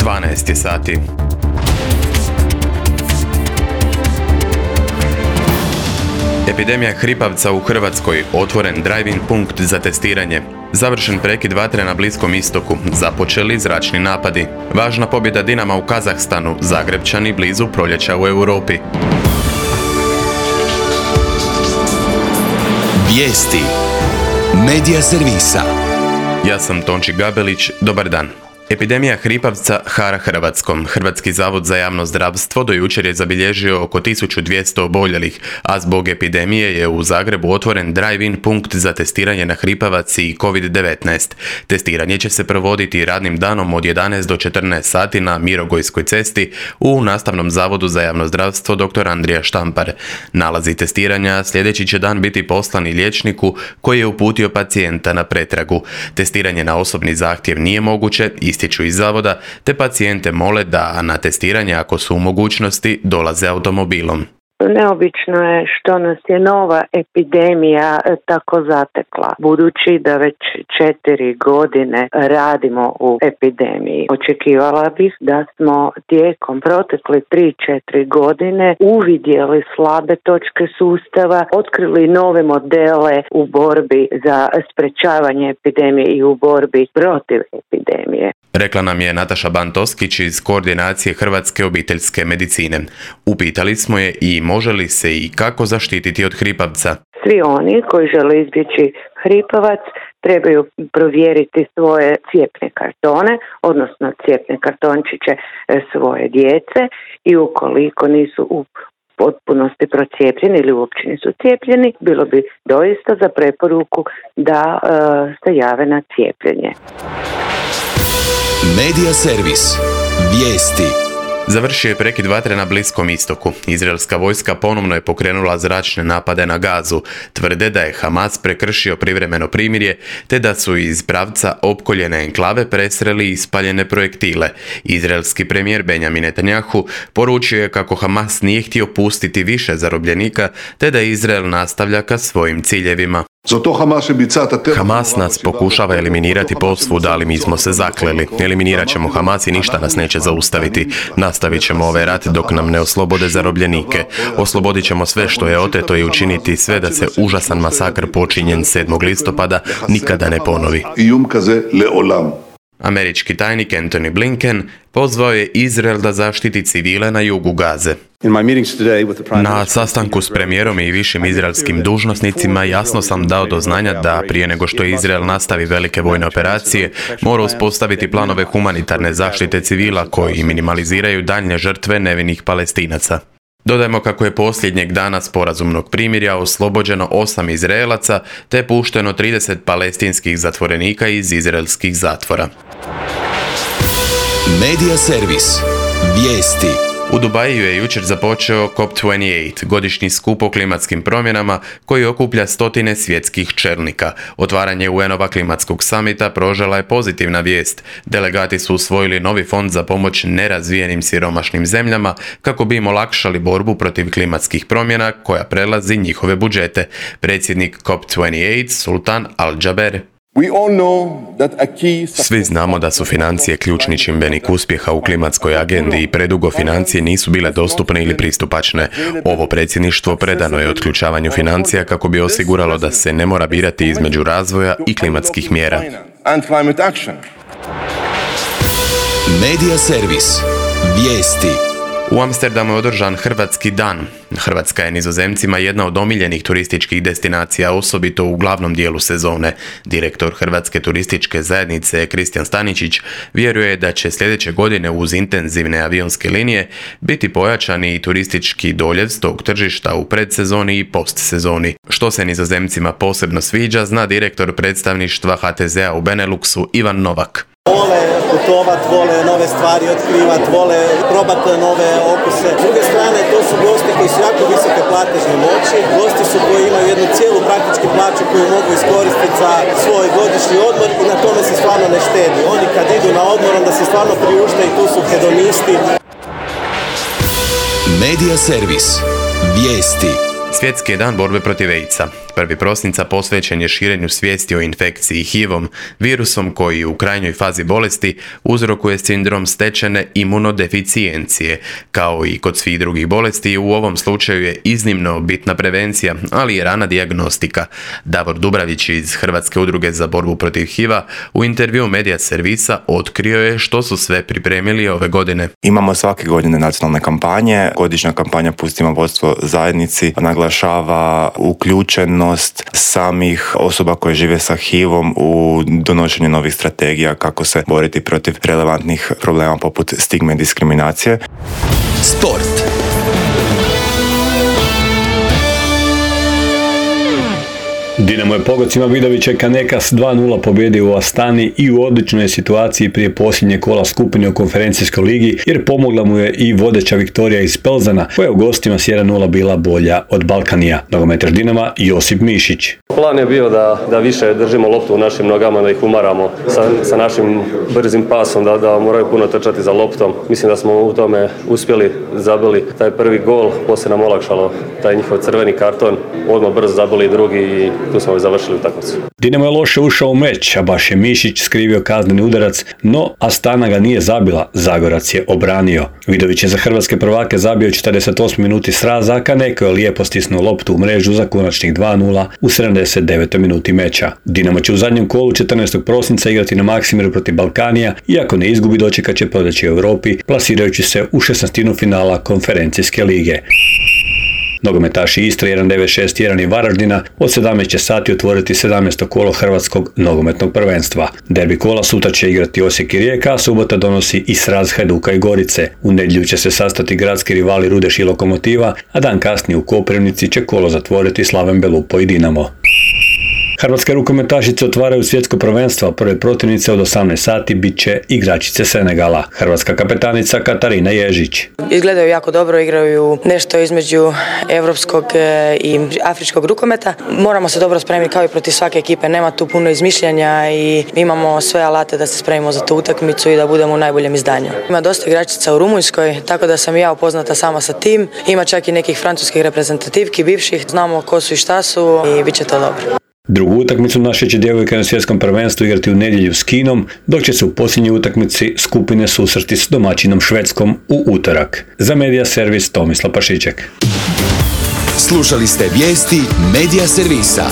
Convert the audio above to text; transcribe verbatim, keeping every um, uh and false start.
dvanaest je sati. Epidemija hripavca u Hrvatskoj, otvoren drive-in punkt za testiranje. Završen prekid vatre na Bliskom istoku, započeli zračni napadi. Važna pobjeda Dinama u Kazahstanu, Zagrebčani blizu proljeća u Europi. Vijesti Medija servisa. Ja sam Tonči Gabelić, dobar dan. Epidemija hripavca hara Hrvatskom. Hrvatski zavod za javno zdravstvo do jučer je zabilježio oko tisuću dvjesto oboljelih, a zbog epidemije je u Zagrebu otvoren drive-in punkt za testiranje na hripavac i kovid devetnaest. Testiranje će se provoditi radnim danom od jedanaest do četrnaest sati na Mirogojskoj cesti u Nastavnom zavodu za javno zdravstvo dr. Andrija Štampar. Nalazi testiranja sljedeći će dan biti poslani liječniku koji je uputio pacijenta na pretragu. Testiranje na osobni zahtjev nije moguće, ističu iz zavoda, te pacijente mole da na testiranje, ako su u mogućnosti, dolaze automobilom. Neobično je što nas je nova epidemija tako zatekla, budući da već četiri godine radimo u epidemiji. Očekivala bih da smo tijekom protekle tri četiri godine uvidjeli slabe točke sustava, otkrili nove modele u borbi za sprečavanje epidemije i u borbi protiv epidemije. Rekla nam je Nataša Bantoskić iz Koordinacije Hrvatske obiteljske medicine. Upitali smo je i može li se i kako zaštititi od hripavca. Svi oni koji žele izbjeći hripavac trebaju provjeriti svoje cjepne kartone, odnosno cjepne kartončiće svoje djece, i ukoliko nisu u potpunosti procijepljeni ili uopće nisu cijepljeni, bilo bi doista za preporuku da e, se jave na cijepljenje. Medija servis. Vijesti. Završio je prekid vatre na Bliskom istoku. Izraelska vojska ponovno je pokrenula zračne napade na Gazu. Tvrde da je Hamas prekršio privremeno primirje, te da su iz pravca opkoljene enklave presreli ispaljene projektile. Izraelski premijer Benjamin Netanjahu poručio je kako Hamas nije htio pustiti više zarobljenika, te da Izrael nastavlja ka svojim ciljevima. Hamas nas pokušava eliminirati posvuda, ali mi smo se zakleli. Eliminirat ćemo Hamas i ništa nas neće zaustaviti. Nastavit ćemo ovaj rat dok nam ne oslobode zarobljenike. Oslobodit ćemo sve što je oteto i učiniti sve da se užasan masakr počinjen sedmog listopada nikada ne ponovi. Američki tajnik Antony Blinken pozvao je Izrael da zaštiti civile na jugu Gaze. Na sastanku s premijerom i višim izraelskim dužnosnicima jasno sam dao do znanja da prije nego što Izrael nastavi velike vojne operacije, mora uspostaviti planove humanitarne zaštite civila koji minimaliziraju daljnje žrtve nevinih Palestinaca. Dodajmo kako je posljednjeg dana sporazumnog primirja oslobođeno osam Izraelaca te pušteno trideset palestinskih zatvorenika iz izraelskih zatvora. Medija servis. Vijesti. U Dubaju je jučer započeo C O P dvadeset osam, godišnji skup o klimatskim promjenama koji okuplja stotine svjetskih čelnika. Otvaranje U N-ova klimatskog samita prožela je pozitivna vijest. Delegati su usvojili novi fond za pomoć nerazvijenim siromašnim zemljama kako bi im olakšali borbu protiv klimatskih promjena koja prelazi njihove budžete. Predsjednik C O P dvadeset osam Sultan Al-Jaber. Svi znamo da su financije ključni čimbenik uspjeha u klimatskoj agendi i predugo financije nisu bile dostupne ili pristupačne. Ovo predsjedništvo predano je otključavanju financija kako bi osiguralo da se ne mora birati između razvoja i klimatskih mjera. Medija servis. Vijesti. U Amsterdamu je održan Hrvatski dan. Hrvatska je Nizozemcima jedna od omiljenih turističkih destinacija, osobito u glavnom dijelu sezone. Direktor Hrvatske turističke zajednice Kristijan Staničić vjeruje da će sljedeće godine uz intenzivne avionske linije biti pojačani i turistički doljev s tog tržišta u predsezoni i postsezoni. Što se Nizozemcima posebno sviđa, zna direktor predstavništva H T Z-a u Beneluxu Ivan Novak. Vole putovat, vole nove stvari otkrivat, vole probati nove okuse. S druge strane, to su gosti koji su jako visoke platežne moći. Gosti su koji imaju jednu cijelu praktički plaću koju mogu iskoristiti za svoj godišnji odmor i na tome se stvarno ne štedi. Oni kad idu na odmor, onda se stvarno priušte i tu su hedonisti. Medija servis. Vijesti. Svjetski je dan borbe protiv AIDS-a. prvog prosinca posvećen je širenju svijesti o infekciji H I V-om, virusom koji u krajnjoj fazi bolesti uzrokuje sindrom stečene imunodeficijencije. Kao i kod svih drugih bolesti, u ovom slučaju je iznimno bitna prevencija, ali i rana dijagnostika. Davor Dubravić iz Hrvatske udruge za borbu protiv H I V-a u intervju Medija servisa otkrio je što su sve pripremili ove godine. Imamo svake godine nacionalne kampanje. Godišnja kampanja Pustimo vodstvo zajednici naglašava uključenost samih osoba koje žive sa H I V-om u donošenju novih strategija kako se boriti protiv relevantnih problema poput stigme i diskriminacije. Sport. Dinamo je pogocima Vidovića Kaneka s dva nula pobjedio u Astani i u odličnoj situaciji prije posljednje kola skupine u konferencijskoj ligi, jer pomogla mu je i vodeća Viktorija iz Pelzana, koja je u gostima s jedan nula bila bolja od Balkanija. Nogometaš Dinama Josip Mišić. Plan je bio da, da više držimo loptu u našim nogama, da ih umaramo sa, sa našim brzim pasom, da, da moraju puno trčati za loptom. Mislim da smo u tome uspjeli, zabili taj prvi gol, poslije nam olakšalo taj njihov crveni karton, odmah brzo zabili drugi i tu smo završili utakmicu. Dinamo je loše ušao u meč, a baš je Mišić skrivio kazneni udarac, no Astana ga nije zabila, Zagorac je obranio. Vidović je za hrvatske prvake zabio četrdeset osmoj minuti sraza, a Kaneko je lijepo stisnuo loptu u mrežu za konačnih dva nula u sedamdeset devetoj minuti meča. Dinamo će u zadnjem kolu četrnaestog prosinca igrati na Maksimiru protiv Balkanija, iako ne izgubi dočekat će prodaći u Europi, plasirajući se u šesnaestinu finala konferencijske lige. Nogometaši Istre jedan devet šest jedan i Varaždina od sedamnaest će sati otvoriti sedamnaesto kolo Hrvatskog nogometnog prvenstva. Derbi kola sutra će igrati Osijek i Rijeka, a subota donosi i sraz Hajduka i Gorice. U nedjelju će se sastati gradski rivali Rudeš i Lokomotiva, a dan kasnije u Koprivnici će kolo zatvoriti Slaven Belupo i Dinamo. Hrvatske rukometašice otvaraju svjetsko prvenstvo, a prve protivnice od osamnaest sati bit će igračice Senegala. Hrvatska kapetanica Katarina Ježić. Izgledaju jako dobro, igraju nešto između evropskog i afričkog rukometa. Moramo se dobro spremiti kao i protiv svake ekipe, nema tu puno izmišljanja i imamo sve alate da se spremimo za tu utakmicu i da budemo u najboljem izdanju. Ima dosta igračica u Rumunjskoj, tako da sam i ja upoznata sama sa tim. Ima čak i nekih francuskih reprezentativki, bivših, znamo ko su i šta su i bit će to dobro. Drugu utakmicu naše će djevojke na svjetskom prvenstvu igrati u nedjelju s Kinom, dok će se u posljednjoj utakmici skupine susreti s domaćinom Švedskom u utorak. Za Medija servis Tomislav Pašiček. Slušali ste vijesti Medija servisa.